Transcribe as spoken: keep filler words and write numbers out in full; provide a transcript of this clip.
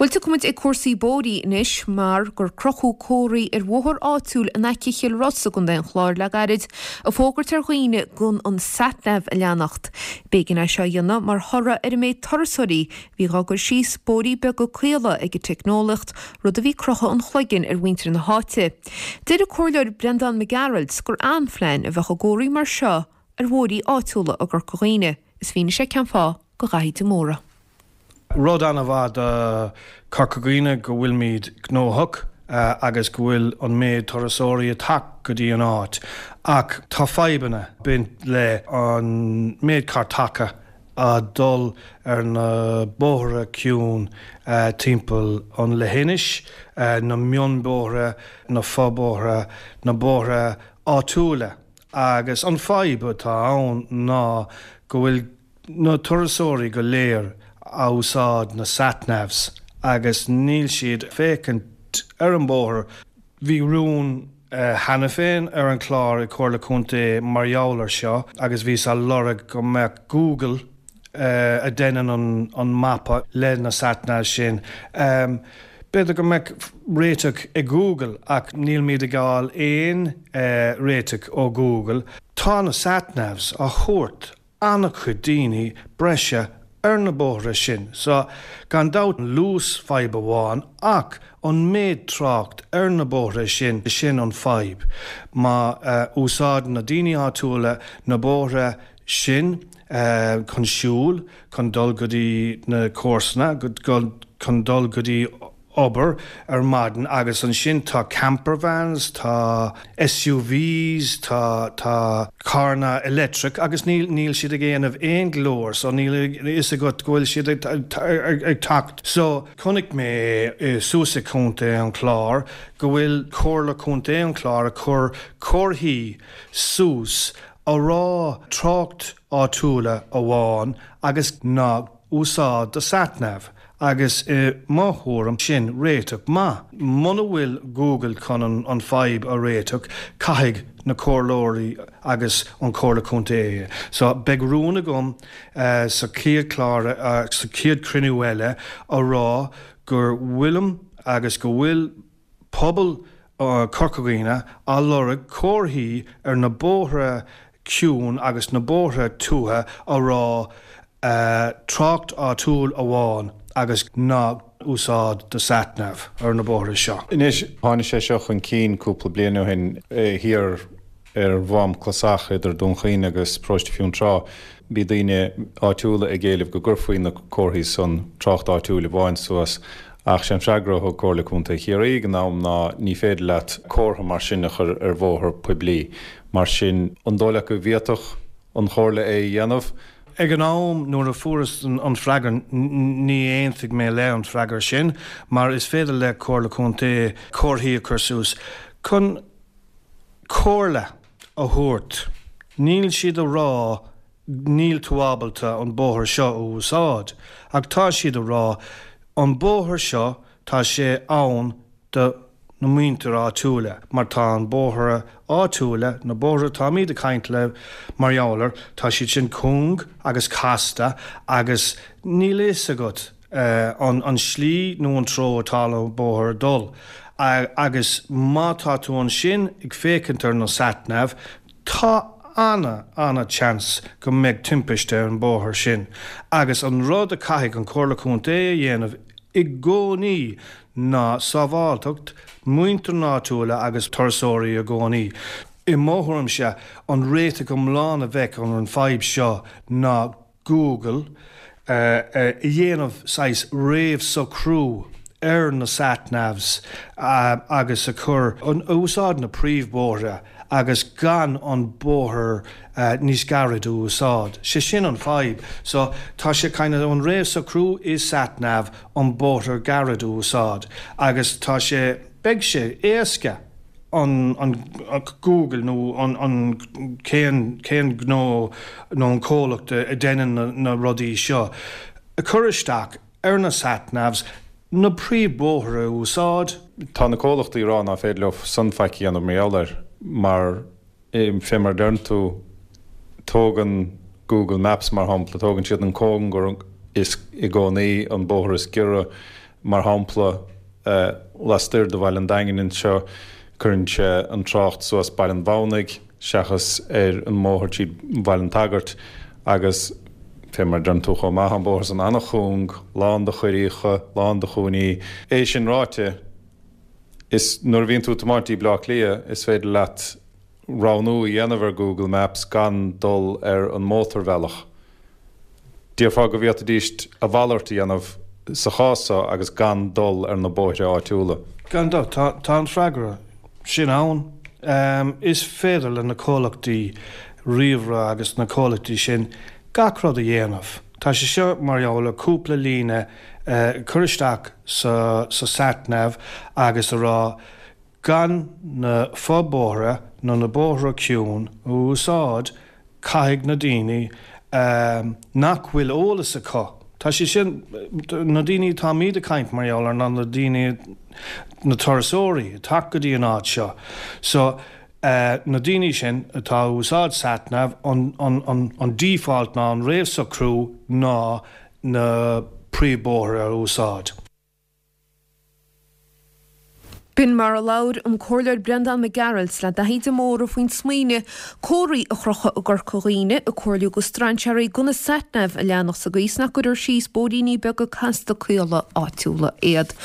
Bhuel, tiocfaidh muid ag cúrsaí bóithre anois mar gur crochadh comharthaí ar bhóthar áitiúil in aice Chill Rois i gContae an Chláir le gairid ag fógairt ar dhaoine gan an satnav a leanacht. B'éigean é seo a dhéanamh mar thoradh ar an méid turasóirí a bhí á gcur síos bóithrí beaga caola ag an teicneolaíocht, rud a bhí ag croitheadh an chloiginn ar mhuintir na háite. Deir an Comhairleoir Breandán Mac Gearailt gur an-phlean a bheadh i gcomharthaí mar seo ar bhóithrí áitiúla i gCorca Dhuibhne. Is mhínigh sé cén fáth do Dhaithí de Mórdha. Rud an-mhaith do Corca Dhuibhne go bhfuilmid gnóthach agus go bhfuil an méid turasóirí ag teacht go dtí an áit ach tá fadhbanna baint le an méid cartacha a dul ar na bóithre ciúin timpeall an leithinis, na mionbhóithre, na fobóithre, na bóithre áitiúla agus an fadhb atá ann ná go bhfuil na turasóirí go léir a úsáid na satnavs agus níl siad féachaint ar an bóthar. Bhí rún cheana féin ar an chlár i Comhairle Contae mar gheall ar seo agus bhí á lorg go mbeadh Google a déanann an, an mapa le na satnavs sin. Um, B'fhéidir go mbeadh réiteach ag Google ach níl muid ag fáil aon uh, réiteach ó Google. Tá na satnavs á thabhairt an-chuid daoine breise ar na bóithre sin, so gan dabht luas fadhb amháin ach an méid trácht ar na bóithre sin sin an fadhb. Má uh, úsáid na daoine áitiúla na bóithre sin uh, chun siúl chun dul go dtí na comharsana, chun dul go dtí obair ar maidin agus ansin tá campervans, tá SUVs, tá tá carranna electric agus níl níl siad ag déanamh aon ghlór, so níl fhios agat go bhfuil siad ag, ag, ag teacht. So chonaic mé suas i Contae an Chláir go bhfuil Comhairle Contae an Chláir a chur comharthaí suas a rá trácht áitiúla amháin agus ná úsáid do satnav. agus i mo thuairim sin réiteach maith. Muna bhfuil Google chun an, an fadhb a réiteach caithfidh na comhairleoirí agus an Comhairle Contae. So beidh rún agam uh, sa chéad chlár uh, sa chéad cruinniú eile a rá gur bhfuilim agus go bhfuil pobal uh, Corca Dhuibhne á lorg comharthaí ar na bóithre ciúin agus na bóithre tuaithe a rá uh, trácht áitiúil amháin agus ná úsáid do satnav ar na bóithre seo. Anois tháinig sé seo chun cinn cúpla bliain ó shin thiar ar Mhám Clasach idir Dún Chaoin agus Paróiste Fionntrá. Bhí daoine áitiúla ag éileamh go gcuirfí na comharthaí san trácht áitiúil amháin suas ach sé an freagra ó Chomhairle Contae Chiarraí ag an am ná ní féidir leat comhartha mar sin a chur ar bhóthar poiblí. Mar sin an dóigh leat go bhféadfadh an chomhairle é a dhéanamh, Ag an am nuair a fuaireas an freagra ní aontaigh mé le an freagra sin, mar is féidir le Comhairle Contae comharthaí a chur suas chun comhairle a thabhairt. Níl siad a rá níl tú ábalta an bóthar seo a úsáid, ach tá siad a rá an bóthar seo tá sé ann do na muintir áitiúla, mar tá an bóthar áitiúla na bóithre táimid ag caint le mar gheall air, tá siad sin cúng agus casta agus níl fhios agat uh, an, an slí nó an treo atá an bóthar dul. Uh, agus má tá tú ansin ag féachaint ar na satnav, tá ana ana chance go mbeidh timpiste ar an bóthar sin. Agus an rud a caithfidh an Comhairle Contae a dhéanamh i gcónaí ná sábháilteacht muintir áitiúla agus turasóirí i gcónaí. I mo thuairimse an réiteach iomlán a bheith an an fadhb seo ná Google uh, uh, a dhéanamh saghas réamhshocrú ar na satnavs uh, agus a chur an úsáid na príomhbóithre agus gan an bóthar uh, níos gairid a úsáid. Sé sin an fadhb, so tá sé kind of an réamhshocrú is satnav an bóthar gairid a úsáid, agus tá sé beidh sé éasca an, an, an Google nó an, an cén cén gnó nó an comhlacht a déanann na, na rudaí seo. A chur isteach ar na satnavs na príomhbóithre a úsáid. Tá na comhlachtaí rá nach féidir leo san faic a dhéanamh mar air mar fé mar deireann tú tógann Google Maps mar shampla tógann siad an cóngar is i gcónaí an bóthar is giorra Mar shampla, lastoir de Bhaile an Daingin anseo, cuireann sé an trácht suas Baile an Mhamhnaigh seachas ar an mbóthar tríd Bhaile an tSagairt agus fé mar a deireann tú chomh maith, an bóthar san an-chúng, lán de choiríocha, lán de chúinní. É sin ráite, is nuair a bhíonn tú ag tiomáint dtí Bleá Cliath, is féidir leat roghnú a dhéanamh ar Google Maps gan dul ar an mótarbhealach. Déarfá go bhféadfaidíst a mhalairt a dhéanamh sa chás so agus gan dul ar na bóithre áitiúla. Gan dabht, tá an freagra sin ann. Is féidir le na comhlachtaí ríomhaire agus na comhlachtaí sin gach rud a dhéanamh. Tá sé seo mar gheall ar cúpla líne a chur isteach sa sat-nav agus a rá gan na fo-bhóithre nó na bóithre ciúin a úsáid, caithfidh na daoine nach bhfuil eolas acu, tá sé sin, na daoine atáimid ag caint mar gheall air ná na daoine, na turasóirí ag teacht go dtí an áit seo. So, na daoine sin atá ag úsáid sat-nav, an, an, an, an default ná an réamhsocrú ná na príomhbóithre a úsáid. B'in mar a labhair an Comhairleoir Breandán Mac Gearailt le Daithí de Mórdha faoin smaoineamh comharthaí a chrochadh i gCorca Dhuibhne ag comhairliú do strainséirí gan an sat-nav a leanacht sa gcaoi is nach gcuirfear síos bóithríní beaga casta caola áitiúla iad.